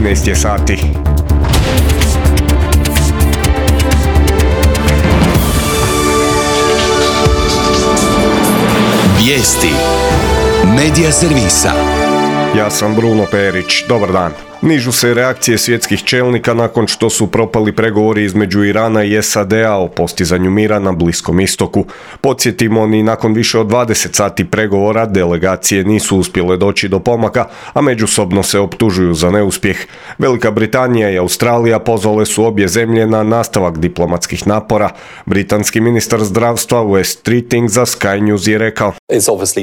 13 je sati. Vijesti Medija servisa. Ja sam Bruno Perić, dobar dan. Nižu se reakcije svjetskih čelnika nakon što su propali pregovori između Irana i SAD-a o postizanju mira na Bliskom istoku. Podsjetimo, ni nakon više od 20 sati pregovora delegacije nisu uspjele doći do pomaka, a međusobno se optužuju za neuspjeh. Velika Britanija i Australija pozvale su obje zemlje na nastavak diplomatskih napora. Britanski ministar zdravstva Wes Streeting za Sky News je rekao: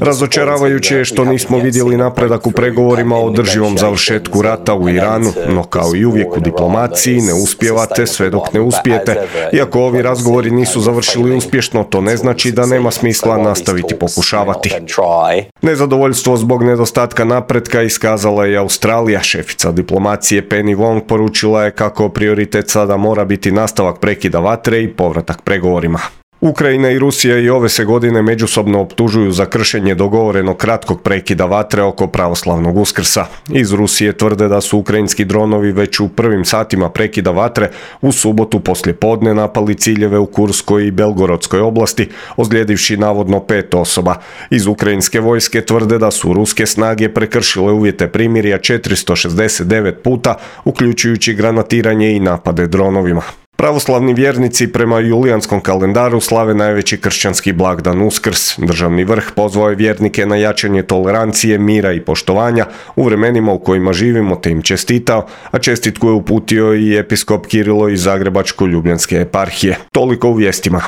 razočaravajuće je što nismo vidjeli napredak u pregovorima o održivom završetku rata u Iranu, no kao i uvijek u diplomaciji ne uspijevate sve dok ne uspijete. Iako ovi razgovori nisu završili uspješno, to ne znači da nema smisla nastaviti pokušavati. Nezadovoljstvo zbog nedostatka napretka iskazala je Australija. Šefica diplomacije Penny Wong poručila je kako prioritet sada mora biti nastavak prekida vatre i povratak pregovorima. Ukrajina i Rusija i ove se godine međusobno optužuju za kršenje dogovorenog kratkog prekida vatre oko pravoslavnog Uskrsa. Iz Rusije tvrde da su ukrajinski dronovi već u prvim satima prekida vatre u subotu poslijepodne napali ciljeve u Kurskoj i Belgorodskoj oblasti, ozlijedivši navodno 5 osoba. Iz ukrajinske vojske tvrde da su ruske snage prekršile uvjete primirja 469 puta, uključujući granatiranje i napade dronovima. Pravoslavni vjernici prema julijanskom kalendaru slave najveći kršćanski blagdan Uskrs. Državni vrh pozvao je vjernike na jačanje tolerancije, mira i poštovanja u vremenima u kojima živimo, te im čestitao, a čestitku je uputio i episkop Kirilo iz Zagrebačko-ljubljanske eparhije. Toliko u vijestima.